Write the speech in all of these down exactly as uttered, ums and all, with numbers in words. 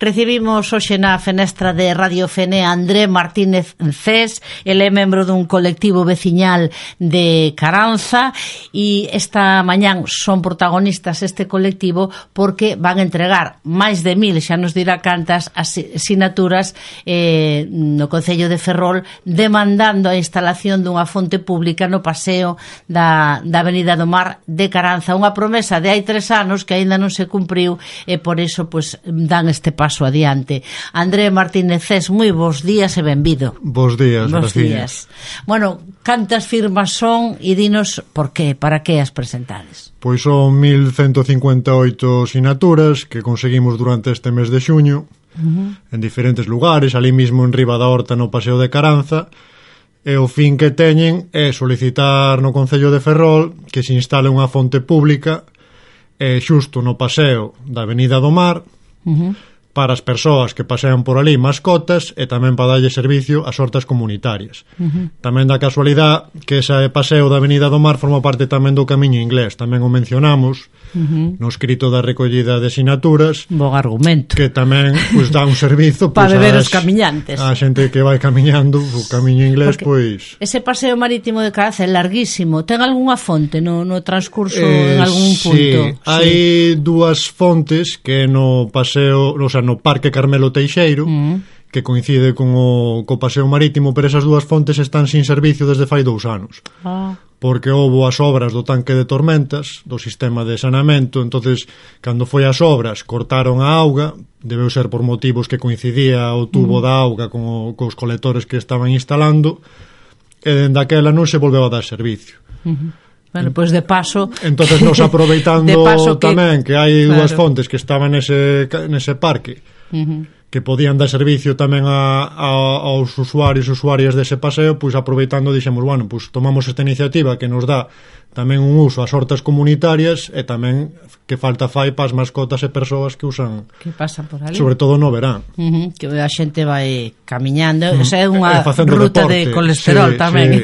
Recibimos hoxe na fenestra de Radio Fene a André Martínez Cés. Ele é membro dun colectivo veciñal de Caranza e esta mañán son protagonistas este colectivo porque van a entregar máis de mil, xa nos dirá cantas, asinaturas eh, no Concello de Ferrol demandando a instalación dunha fonte pública no paseo da, da Avenida do Mar de Caranza. Unha promesa de hai tres anos que aínda non se cumpriu e por iso pues, dan este paso adiante. André Martínez Cés, moi bons días e benvido. Bos días, bos días. Bueno, cantas firmas son e dinos por qué, para que as presentades? Pois son mil ciento cincuenta e oito sinaturas que conseguimos durante este mes de xuño, uh-huh. en diferentes lugares, ali mismo en riba da horta no Paseo de Caranza, e o fin que teñen é solicitar no Concello de Ferrol que se instale unha fonte pública eh, xusto no paseo da Avenida do Mar, uh-huh. para as persoas que pasean por ali, mascotas, e tamén para darlle servicio ás hortas comunitarias. Uh-huh. Tamén da casualidade que ese paseo da Avenida do Mar forma parte tamén do Camiño Inglés, tamén o mencionamos uh-huh. no escrito da recollida de sinaturas. Bon argumento. Que tamén pues, dá un servizo para pues, beber as, os camiñantes. A xente que vai camiñando o Camiño Inglés, porque pois... ese paseo marítimo de Caranza é larguísimo. Ten algunha fonte no, no transcurso eh, en algún punto? Sí, hai sí. dúas fontes que no paseo, o sea, no Parque Carmelo Teixeiro, mm. que coincide con o co paseo marítimo, pero esas dúas fontes están sin servicio desde fai dous anos. Ah. Porque houbo as obras do tanque de tormentas, do sistema de saneamento, entonces cando foi as obras cortaron a auga, debeu ser por motivos que coincidía o tubo mm. da auga con o, cos colectores que estaban instalando, e dende aquela non se volveu a dar servicio. Mm-hmm. Bueno, pois pues de paso... Entonces nos aproveitando paso que, tamén que hai claro. dúas fontes que estaban nese, nese parque, uh-huh. que podían dar servicio tamén a, a, aos usuarios e usuarias dese paseo, pois aproveitando dixemos, bueno, pois tomamos esta iniciativa que nos dá tamén un uso ás hortas comunitarias e tamén que falta fai para as mascotas e persoas que usan, que pasan por ali, sobre todo no verán, uh-huh. que a xente vai camiñando, uh-huh. esa é unha deporte. ruta de colesterol sí, tamén sí.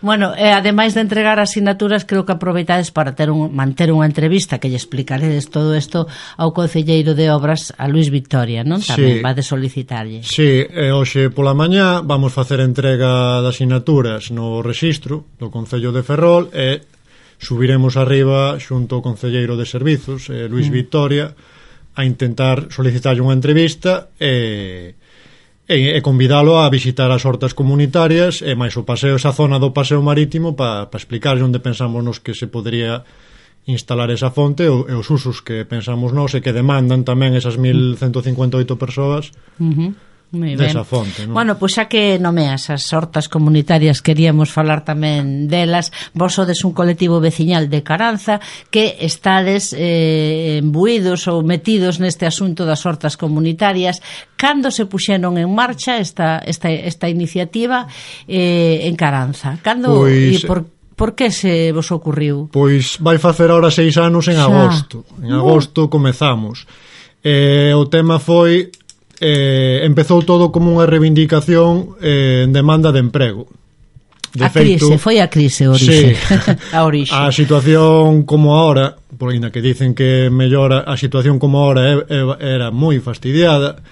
Bueno, e ademais de entregar asignaturas, creo que aproveitades para ter un, manter unha entrevista que lle explicaredes todo isto ao concelleiro de obras, a Luis Victoria, non? Tamén sí. vade solicitarlle. Sí, e hoxe pola mañá vamos facer entrega de asignaturas no rexistro do Concello de Ferrol e subiremos arriba xunto ao concelleiro de servizos, eh, Luis mm. Victoria, a intentar solicitarlle unha entrevista e, e, e convidalo a visitar as hortas comunitarias e máis o paseo, esa zona do paseo marítimo para pa explicarlle onde pensamos nos que se podría instalar esa fonte e, e os usos que pensamos nós e que demandan tamén esas mil ciento cincuenta e oito persoas uh-huh. desa fonte, non? Bueno, pois xa que nomeas as hortas comunitarias, queríamos falar tamén delas. Vos sodes un colectivo veciñal de Caranza que estades eh, embuídos ou metidos neste asunto das hortas comunitarias. Cando se puxeron en marcha esta, esta, esta iniciativa eh, en Caranza? Cando pois... e por Por que se vos ocurriu? Pois vai facer ahora seis anos en xa. agosto. En agosto comezamos. Eh, o tema foi... Eh, empezou todo como unha reivindicación eh, en demanda de emprego. De a feito, crise, foi a crise a orixe. Sí, a orixe. A situación como ahora, por ainda que dicen que mellora, a situación como ahora é, é, era moi fastidiada.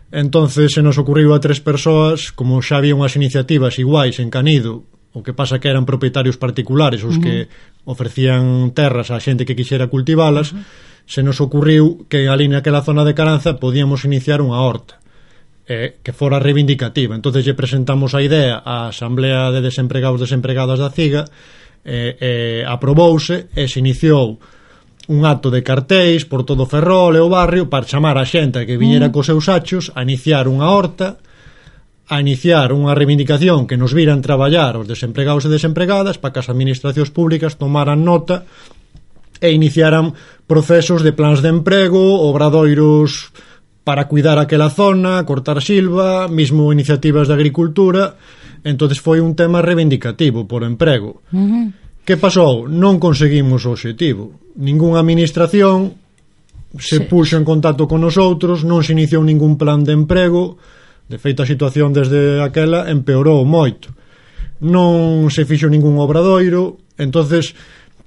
Entonces se nos ocurriu a tres persoas, como xa había unhas iniciativas iguais en Canido, o que pasa que eran propietarios particulares os uh-huh. que ofrecían terras á xente que quixera cultivalas, uh-huh. se nos ocurriu que ali naquela zona de Caranza podíamos iniciar unha horta eh, que fora reivindicativa. Entonces lle presentamos a idea á Asamblea de Desempregados e Desempregadas da CIGA, eh, eh, aprobouse e se iniciou un acto de cartéis por todo Ferrol e o barrio para chamar a xente que viñera uh-huh. cos seus achos a iniciar unha horta, a iniciar unha reivindicación que nos viran traballar os desempregados e desempregadas para que as administracións públicas tomaran nota e iniciaran procesos de plans de emprego, obradoiros para cuidar aquela zona, cortar silva, mismo iniciativas de agricultura. Entonces foi un tema reivindicativo por emprego. Uh-huh. Que pasou? Non conseguimos o obxectivo. Ningunha administración se sí. puxo en contacto con nosotros, non se iniciou ningún plan de emprego. De feito, a situación desde aquela empeorou moito. Non se fixo ningún obradoiro. Entonces,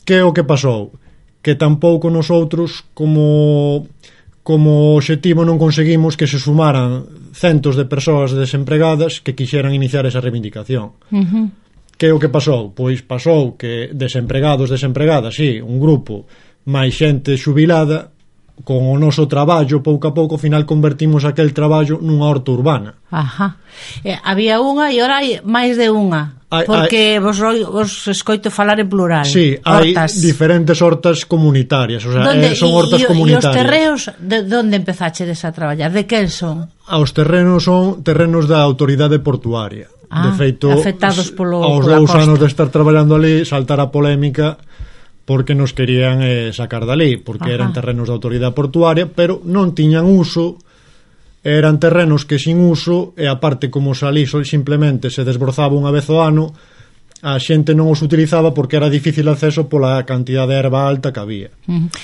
que é o que pasou? Que tampouco nosotros como como obxectivo non conseguimos que se sumaran centos de persoas desempregadas que quixeran iniciar esa reivindicación. Uh-huh. Que é o que pasou? Pois pasou que desempregados, desempregadas, sí, un grupo máis xente xubilada, con o noso traballo, pouco a pouco, ao final convertimos aquel traballo nunha horta urbana. Ajá. Eh, había unha e ora hai máis de unha, hai, porque hai, vos, vos escoito falar en plural. Sí, hortas. Hai diferentes hortas comunitarias, o sea, donde, eh, son hortas y, comunitarias. E os terreos, de onde empezachedes a traballar? De quen son? Ah, os terrenos son terrenos da autoridade portuaria. Ah, de feito, afectados polo, aos dous anos de estar traballando ali, saltar a polémica porque nos querían eh, sacar dali, porque Ajá. eran terrenos de autoridade portuaria, pero non tiñan uso, eran terrenos que sin uso, e aparte como salí simplemente se desbrozaba unha vez ao ano, a xente non os utilizaba porque era difícil acceso pola cantidad de erva alta que había.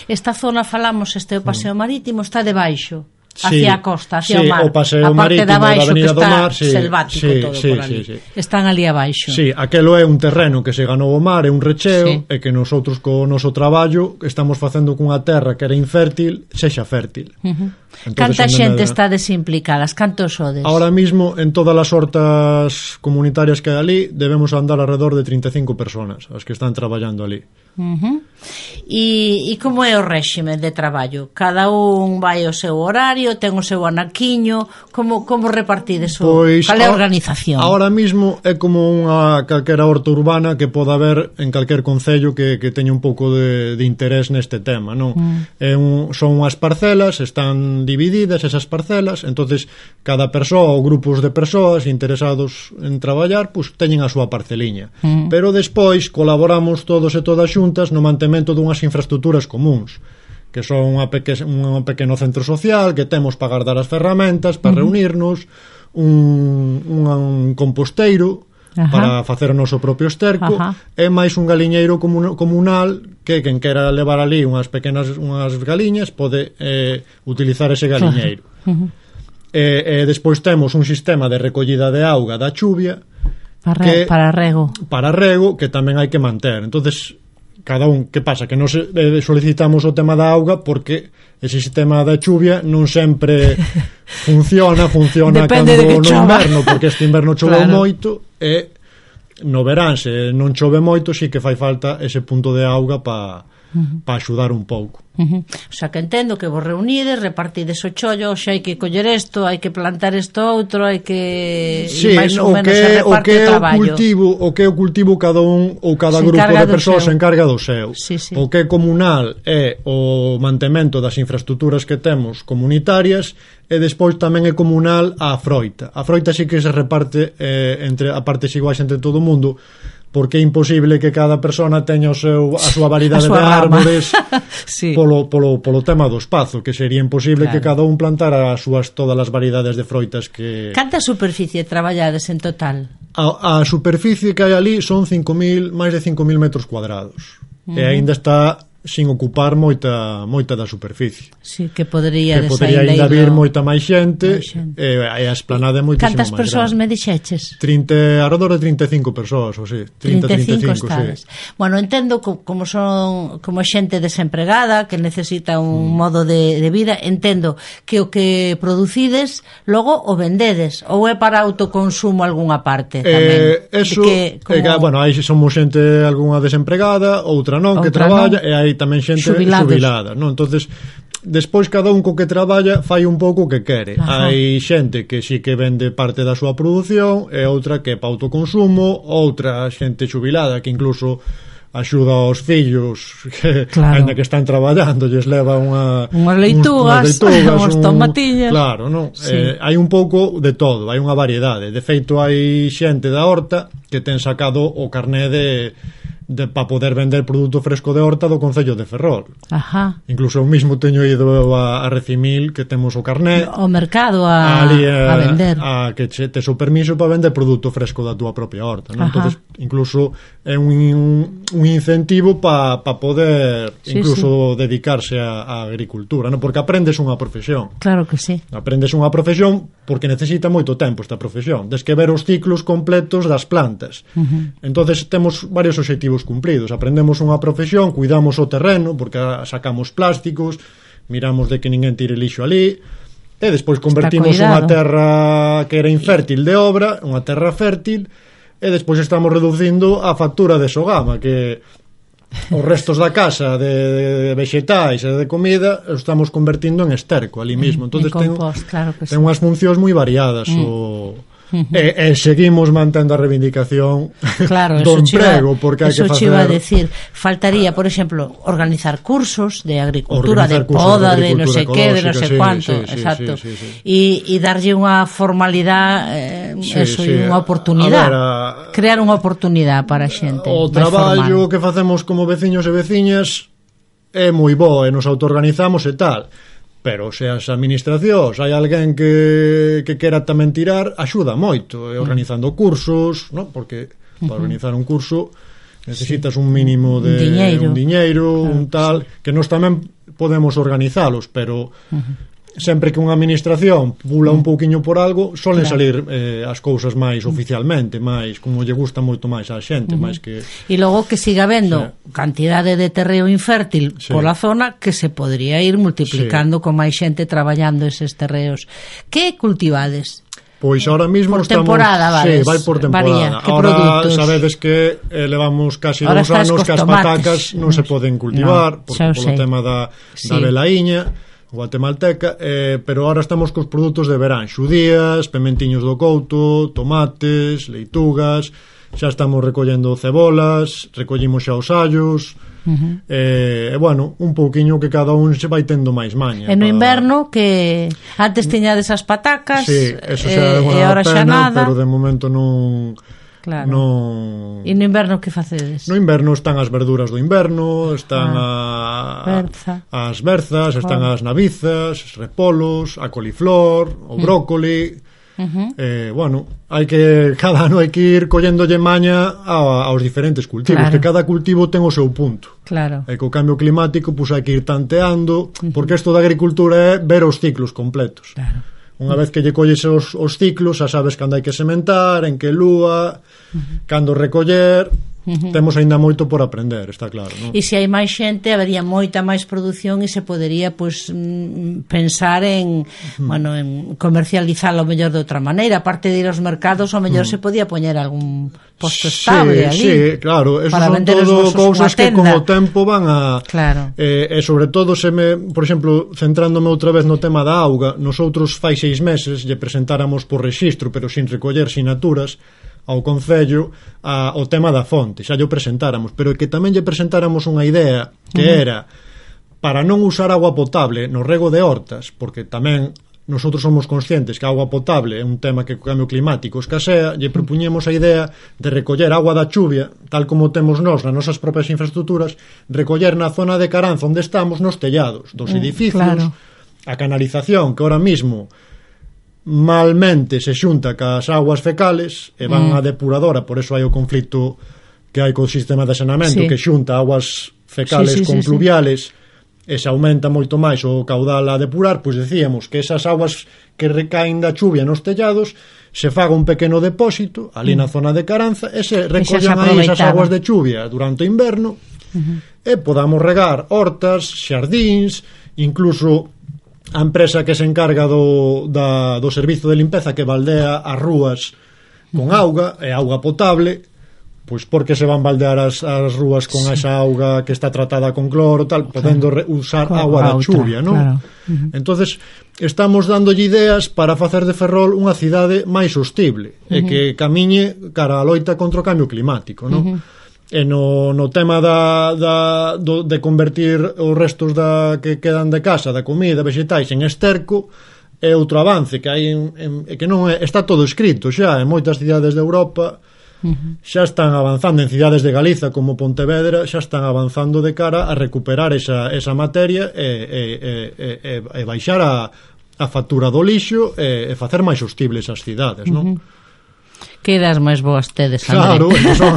Esta zona, falamos, este o paseo marítimo, está debaixo, hacia sí, a costa, hacia sí, o mar, o paseo a parte marítimo da baixo, da Avenida que está do Mar, sí, selvático sí, todo sí, por ali. Sí, sí. Están ali abaixo. Sí, aquelo é un terreno que se ganou o mar, é un recheo, sí. e que nosotros co noso traballo estamos facendo cunha terra que era infértil, sexa fértil. Uh-huh. Canta xente está desimplicada? Cantos sodes? Ahora mismo, en todas as hortas comunitarias que hai ali, debemos andar alrededor de trinta e cinco personas, as que están traballando ali. Uh-huh. E, e como é o réxime de traballo? Cada un vai ao seu horario, ten o seu anaquiño, como, como repartides o... Pois, cal é a organización? Ahora mismo é como unha calquera horta urbana que poda haber en calquer concello que, que teña un pouco de, de interés neste tema, non? Mm. É un, son unhas parcelas, están divididas esas parcelas, entonces cada persoa ou grupos de persoas interesados en traballar, pues teñen a súa parceliña. Mm. Pero despois colaboramos todos e todas xuntas no mantemento dunhas infraestructuras comuns, que son unha peque, un pequeno centro social que temos para guardar as ferramentas, para uh-huh. reunirnos, un, un, un composteiro Ajá. para facer o noso propio esterco, Ajá. e máis un galiñeiro comun, comunal que quen quera levar ali unhas pequenas unhas galiñas pode eh, utilizar ese galiñeiro. Uh-huh. E, e despois temos un sistema de recollida de auga da chuvia para, que, para rego. Para rego que tamén hai que manter. Entonces cada un, que pasa? Que nos eh, solicitamos o tema da auga porque ese sistema da chuvia non sempre funciona, funciona cando no inverno, porque este inverno choveu claro. moito, e no verán, se non chove moito, sí que fai falta ese punto de auga para uh-huh. pa axudar un pouco. Uh-huh. O sea, que entendo que vos reunides, repartides o chollo, xa hai que coller isto, hai que plantar isto outro, hai que sí, máis ou menos se reparte o, que o traballo. O cultivo, o que é o cultivo cada un ou cada se grupo de persoas se encarga do seu. Sí, sí. O que é comunal é o mantemento das infraestructuras que temos comunitarias, e despois tamén é comunal a froita. A froita sí que se reparte eh, entre a parte iguais entre todo o mundo, porque é imposible que cada persona teña o seu, a súa variedade a súa de árbores sí. polo, polo, polo tema do espazo, que sería imposible claro. que cada un plantara as súas todas as variedades de froitas que... Canta superficie traballades en total? A, a superficie que hai ali son cinco mil, máis de cinco mil metros cuadrados. Uh-huh. E aínda está sin ocupar moita moita da superficie. Sí, que podría que podría ainda vir moita máis xente, máis xente. E, e a esplanada é moitísimo máis grande. Cantas persoas me dixeches? trinta, alrededor de trinta e cinco persoas, ou sí, trinta, trinta e cinco, sí. Bueno, entendo como son como xente desempregada que necesita un mm. modo de, de vida, entendo que o que producides logo o vendedes, ou é para autoconsumo algunha parte tamén. Eh, eso, que, como... eh, bueno, aí somos xente algunha desempregada, outra non, outra que traballa, non. E hai tamén xente Xubilados. xubilada, non? Entonces, despois cada un co que traballa fai un pouco o que quere. Ajá. Hai xente que sí que vende parte da súa produción, e outra que é para autoconsumo, outra xente xubilada que incluso axuda aos fillos que, claro. ainda que están traballando, lles leva unha unhas leitugas, unhas tomatiñas. Claro, non? Sí. Eh, hai un pouco de todo, hai unha variedade. De feito, hai xente da horta que ten sacado o carné de de para poder vender produto fresco de horta do Concello de Ferrol. Ajá. Incluso eu mismo teño ido a, a Recimil, que temos o carné o mercado a, ali, a, a vender a que che, tes o permiso para vender produto fresco da túa propia horta, non? Entonces, incluso é un, un, un incentivo para pa poder sí, incluso sí. dedicarse a, a agricultura, non? Porque aprendes unha profesión. Claro que sí. Aprendes unha profesión porque necesita moito tempo esta profesión. Des que ver os ciclos completos das plantas. Uh-huh. Entonces temos varios obxectivos cumplidos. Aprendemos unha profesión, cuidamos o terreno porque sacamos plásticos, miramos de que ninguén tire lixo ali, e despois convertimos unha terra que era infértil de obra, unha terra fértil, e despois estamos reducindo a factura de Sogama, que os restos da casa de, de vegetais e de comida os estamos convertindo en esterco ali mismo. Entonces ten, compost, claro que ten sí. unhas funcións moi variadas mm. o E, e seguimos mantendo a reivindicación claro, do emprego, porque hai que facer... Eso iba a decir, faltaría, por exemplo, organizar cursos de agricultura, organizar de poda, de, de no sé qué, de no sé sí, cuánto, sí, sí, exacto, sí, sí, sí. Y, y darlle unha formalidade, eh, sí, eso, sí. unha oportunidade, a ver, a... crear unha oportunidade para a xente. O traballo que facemos como veciños e veciñas é moi bo e nos autoorganizamos e tal. Pero se as administracións hai alguén que, que quera tamén tirar, axuda moito, e organizando cursos, ¿no? Porque para organizar un curso necesitas un mínimo de diñeiro. un diñeiro, claro, un tal, sí. Que nós tamén podemos organizalos, pero uh-huh. sempre que unha administración pula un pouquiño por algo, solen claro. salir eh, as cousas máis oficialmente, máis como lle gusta moito máis á xente, uh-huh. máis que... E logo que siga vendo sí. cantidade de terreo infértil sí. pola zona que se podría ir multiplicando sí. con máis xente traballando eses terreos. Que cultivades? Pois ahora mismo por estamos... temporada, vales, sí, vai por temporada. Ahora produtos? Sabedes que eh, levamos casi ahora dous anos que as patacas non se poden cultivar no, por, polo tema da, sí. da velaíña guatemalteca, eh, pero ahora estamos cos produtos de verán, xudías, pementiños do couto, tomates, leitugas, xa estamos recollendo cebolas, recollimos xa os allos, uh-huh. eh, e bueno, un pouquiño que cada un se vai tendo máis maña. E no para... inverno que antes tiñades as patacas, sí, eso xa eh, e ahora xa nada, pero de momento non... Claro. No... E no inverno que facedes? No inverno están as verduras do inverno, están ah, a, berza. as berzas, están oh. as navizas, os repolos, a coliflor, o brócoli. Uh-huh. Eh, bueno, hai que cada ano hai que ir colléndolle maña a, aos diferentes cultivos, claro. que cada cultivo ten o seu punto. Claro. E co cambio climático, pois pues, hai que ir tanteando, uh-huh. porque isto da agricultura é ver os ciclos completos. Claro. Unha vez que lle colles os, os ciclos, xa sabes cando hai que sementar, en que lúa, uh-huh. cando recoller, uh-huh. temos aínda moito por aprender, está claro, non? E se hai máis xente, habería moita máis produción e se podería, pois, pues, pensar en, uh-huh. bueno, en comercializalo mellor de outra maneira, aparte de ir aos mercados, o mellor uh-huh. se podía poñer algún posto estable sí, ali. Sí, claro, eso son todo cousas que con o tempo van a... Claro. Eh, e sobre todo, se me, por exemplo, centrándome outra vez no tema da auga, nosotros fai seis meses lle presentáramos por rexistro, pero sin recoller sinaturas, ao Concello a, o tema da fonte, xa lle presentáramos, pero que tamén lle presentáramos unha idea que uh-huh. era para non usar agua potable no rego de hortas, porque tamén nosotros somos conscientes que a agua potable é un tema que o cambio climático escasea, lle propuñemos a idea de recoller agua da chuvia, tal como temos nós nas nosas propias infraestructuras, recoller na zona de Caranza onde estamos nos tellados dos edificios, claro. a canalización que ahora mismo malmente se xunta cas aguas fecales e van mm. a depuradora, por eso hai o conflito que hai co sistema de saneamento sí. que xunta aguas fecales sí, sí, con sí, pluviales sí. e se aumenta moito máis o caudal a depurar, pois decíamos que esas aguas que recaen da chuvia nos tellados se faga un pequeno depósito ali mm. na zona de Caranza e se recollan aí esas aguas de chuvia durante o inverno uh-huh. e podamos regar hortas, xardíns, incluso a empresa que se encarga do, da, do servizo de limpeza que baldea as rúas con auga e auga potable, pois porque se van baldear as, as rúas con sí. esa auga que está tratada con cloro tal, podendo re, usar con agua da chuvia, non? Claro. Uh-huh. Entonces estamos dándolle ideas para facer de Ferrol unha cidade máis sostible uh-huh. e que camiñe cara a loita contra o cambio climático, non? Uh-huh. E no, no tema da, da, do, de convertir os restos da, que quedan de casa, da comida, vegetais en esterco, é outro avance que hai en, en, que non é, está todo escrito xa en moitas cidades de Europa uh-huh. xa están avanzando, en cidades de Galiza como Pontevedra xa están avanzando de cara a recuperar esa, esa materia e, e, e, e, e baixar a, a factura do lixo e, e facer máis sostibles as cidades, non? Uh-huh. Que ideas máis boas tedes, Claro, André. son...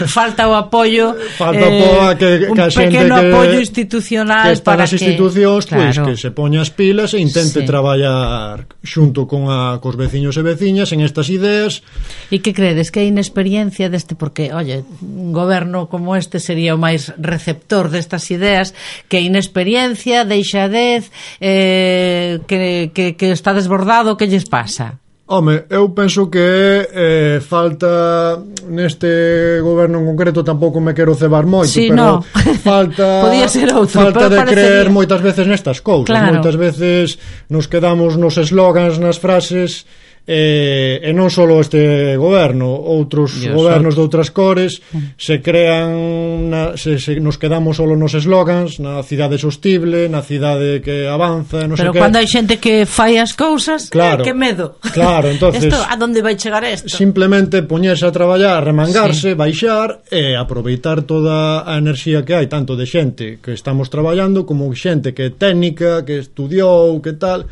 Falta o apoio, Falta eh, apoio que, que un a xente pequeno que, apoio institucional que está para nas que... institucións, Claro. pois, que se poña as pilas e intente Sí. traballar xunto con a, cos veciños e veciñas en estas ideas. E que credes que a inexperiencia deste, porque, oye, un goberno como este sería o máis receptor destas ideas, que a inexperiencia, deixadez, eh, que, que, que está desbordado, que lles pasa? Home, eu penso que eh, falta neste goberno en concreto, tampouco me quero cebar moito, Sí, pero no. falta Podía ser outro, falta pero de parecería. creer moitas veces nestas cousas. Claro. Moitas veces nos quedamos nos eslogans, nas frases, eh, e non só este goberno, outros Dios, gobernos de outras cores se crean na, se, se nos quedamos solo nos eslogans, na cidade sostible, na cidade que avanza, non Pero sei que. cando hai xente que fai as cousas, Claro. eh, que medo. Claro, entonces Esto, a donde vai chegar isto? simplemente poñerse a traballar, remangarse, sí. baixar e aproveitar toda a enerxía que hai, tanto de xente que estamos traballando como xente que é técnica, que estudiou, que tal,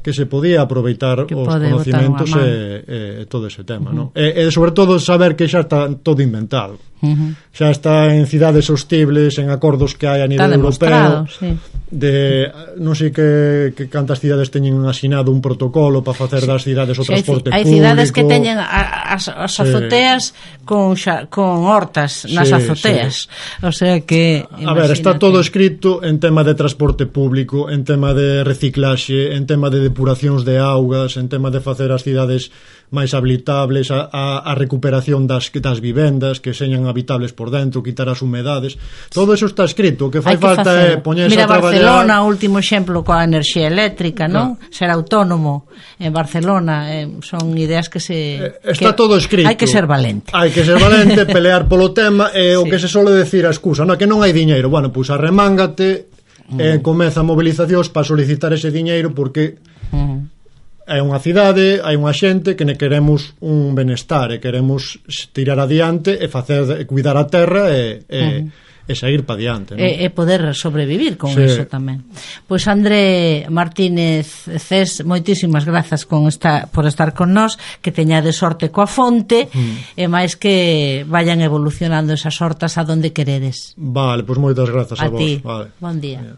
que se podía aproveitar Que os pode conocimentos botar e, e todo ese tema, uh -huh. ¿no? E, e sobre todo saber que xa está todo inventado. Uh -huh. Xa está en cidades sostibles, en acordos que hai a nivel europeo, sí. de non sei que, que cantas cidades teñen asinado un protocolo para facer das cidades o Sí, transporte hai, público. hai cidades que teñen a, as, as azoteas sí. con, xa, con hortas nas Sí, azoteas, sí. O sea que a ver, está todo escrito en tema de transporte público, en tema de reciclaxe, en tema de depuracións de augas, en tema de facer as cidades máis habilitables, a, a, a recuperación das, das vivendas que señan habitables por dentro, quitar as humedades, todo eso está escrito. O que fai que falta é poñerse Mira, a traballar. Barcelona, o último exemplo coa enerxía eléctrica, non? Claro. Ser autónomo en Barcelona, eh, son ideas que se eh, está que todo escrito. Hai que ser valente. Hai que ser valente, pelear polo tema e sí. O que se sole decir a excusa, non, que non hai diñeiro. Bueno, pois pues arremángate mm. e comeza mobilizacións para solicitar ese diñeiro porque mm. é unha cidade, hai unha xente que ne queremos un benestar e queremos tirar adiante e facer e cuidar a terra e, e, uh-huh. e seguir pa diante, non? E, e poder sobrevivir con sí. eso tamén. Pois André Martínez Cés, moitísimas grazas con esta, por estar con nós, que teñade sorte coa fonte mm. e máis que vayan evolucionando esas hortas a donde queredes. Vale, pois moitas grazas a, a vos. ti. Vale. Bon día. Yeah.